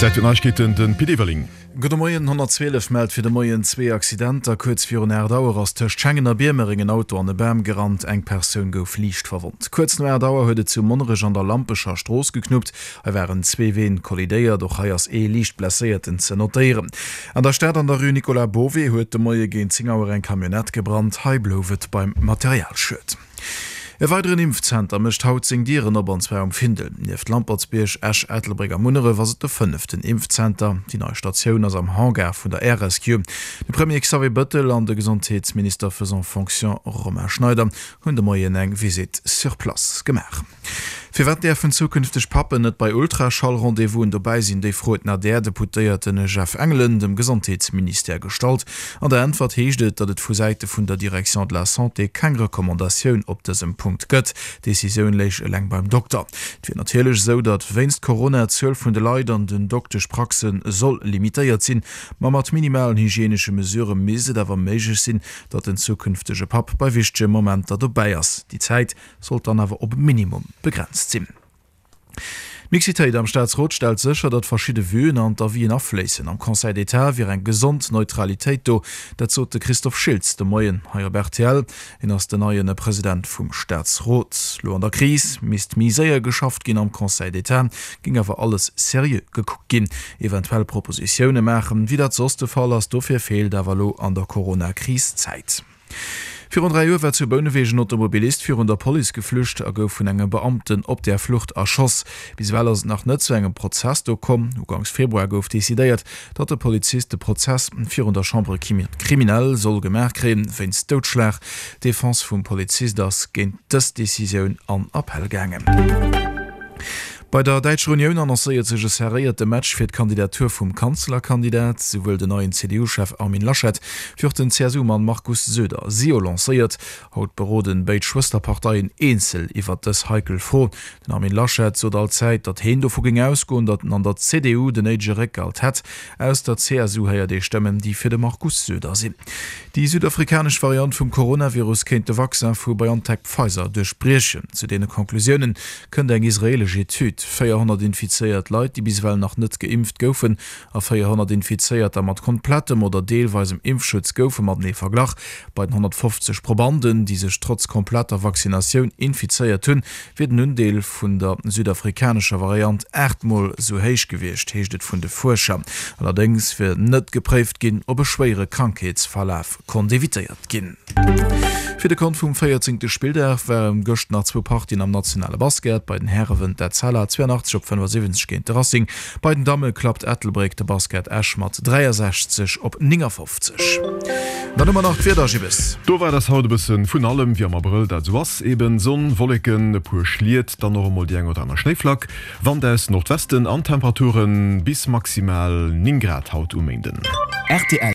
Zäit fir d'Neiegkeeten, de Pit Everling. Gudde Moien, 112 mellt fir de Moien zwee Accidenter. Kuerz virun 8 Auer ass tëscht Schengen a Biermereng en Auto an e Bam gerannt. Eng Persoun gouf liicht verwonnt. Kuerz no 8 Auer huet et zu Monnerech an der Lampecher Strooss geknuppt. Hei waren zwee Ween kollidéiert. Och hei ass ee liicht Blesséierten ze notéieren. An der Stad an der Rue Nicolas Bové huet de Moie géint 10 Auer eng Camionnette gebrannt. Hei blouf et beim Materialschued. E weideren Impfzenter mécht haut seng Dieren op, an zwar um Findel. Nieft Lampertsbierg, Esch, Ettelbréck a Munneref ass et de fënneften Impfzenter. Déi nei Statioun ass am Hangar vun der Air Rescue. De Premier Xavier Bëttel an de Gesondheetsminister faisant fonction Romain Schneider hunn de Moien eng Visitt sur place gemaach. Firwat däerfen zukünfteg Pappen net bei Ultraschall-Rendez-vousen dobäi sinn? Déi Fro huet den ADR-Deputéierte Jeff Engelen dem Gesondheetsministère gestallt. An der Äntwert heescht et, datt et vu Säite vun der Direction de la Santé keng Recommandatioun op dësem Punkt gëtt. D'Decisioun léich eleng beim Dokter. Et wier natierlech esou, datt wéinst Corona d'Zuel vun de Leit an den Dokteschpraxe soll limitéiert sinn. Ma mat minimalen hygienesche Mesurë misst et awer méiglech sinn, datt den zukünftege Papp bei wichtege Momenter dobäi ass. Déi Zäit sollt dann awer op e Minimum begrenzt sinn. D'Mixitéit am Staatsrot stellt sécher, datt verschidde Vuen an d'Avisen afléissen. Am Conseil d'État wier eng gesond Neutralitéit do, dat sot de Christophe Schiltz de Moien hei op rtl. Hien ass den neie President vum Staatsrot. Lo an der Kris misst méi séier geschafft ginn, am Conseil d'État géing awer alles seriö gekuckt ginn. Eventuell Propositioune maachen, wéi dat soss de Fall ass, dofir feelt awer elo an der Corona-Kris d'Zäit. Virun 3 Joer war zu Bouneweg en Automobilist virun der Police geflücht a gouf vun engem Beamten op der Flucht erschoss. Bis ewell ass et nach net zu engem Prozess do komm. Uganks Februar gouf decidéiert, datt de Polizist de Prozess virun der Chambre criminelle soll gemaach kréien, wéinst Doudschlag. D'Defense vum Polizist ass géint dës Decisioun an Appell gaangen. Bei der Däitscher Unioun annoncéiert sech e serréierte Match fir d'Kandidatur vum Kanzlerkandidat. Souwuel den neien CDU-Chef Armin Laschet wéi och den CSU-Mann Markus Söder si jo lancéiert. Haut beroden béid Schwësterparteien eenzel iwwert dës heikel Fro. Den Armin Laschet sot all Zäit, datt heen dovu géing ausgoen, datt en an der CDU den néidege Réckhalt hätt. Aus der CSU héiert ee Stëmmen, déi fir de Markus Söder sinn. Déi südafrikanesch Variant vum Coronavirus kéint de Vaccin vu BioNTech-Pfizer duerchbriechen. Zu deene Conclusiounen kënnt eng israeelesch Etüd. 400 infizéiert Leit, déi bis ewell nach net geimpft goufen, a 400 Infizéierter mat komplettem oder deelweisem Impfschutz goufe matenee verglach. Bei den 150 Probanden, déi sech trotz kompletter Vaccinatioun infizéiert hunn, wier den Undeel vun der südafrikanescher Variant aachtmol sou héich gewiescht, heescht et vun de Fuerscher. Allerdéngs wier net gepréift ginn, ob e schwéiere Krankheetsverlaf konnt evitéiert ginn. Fir de Kont vum 14. Spilldag ware gëscht nach zwou Partien am nationale Basket. Bei den Häre wënnt d'Etzella 82 op 75 géint de Racing. Bei den Damme klappt Ettelbréck de Basket Esch mat 63 op 59. Dann hu mer nach d'Wieder, Gibbes. Do war et ass haut e bësse vun allem, wéi am Abrëll dat esou ass, eben Sonn, Wolleken, e puer Schliet, dann och emol déi eng oder aner Schnéiflack, Wand aus Nordwesten an Temperature bis maximal 9 Grad haut um Méinden. Rtl.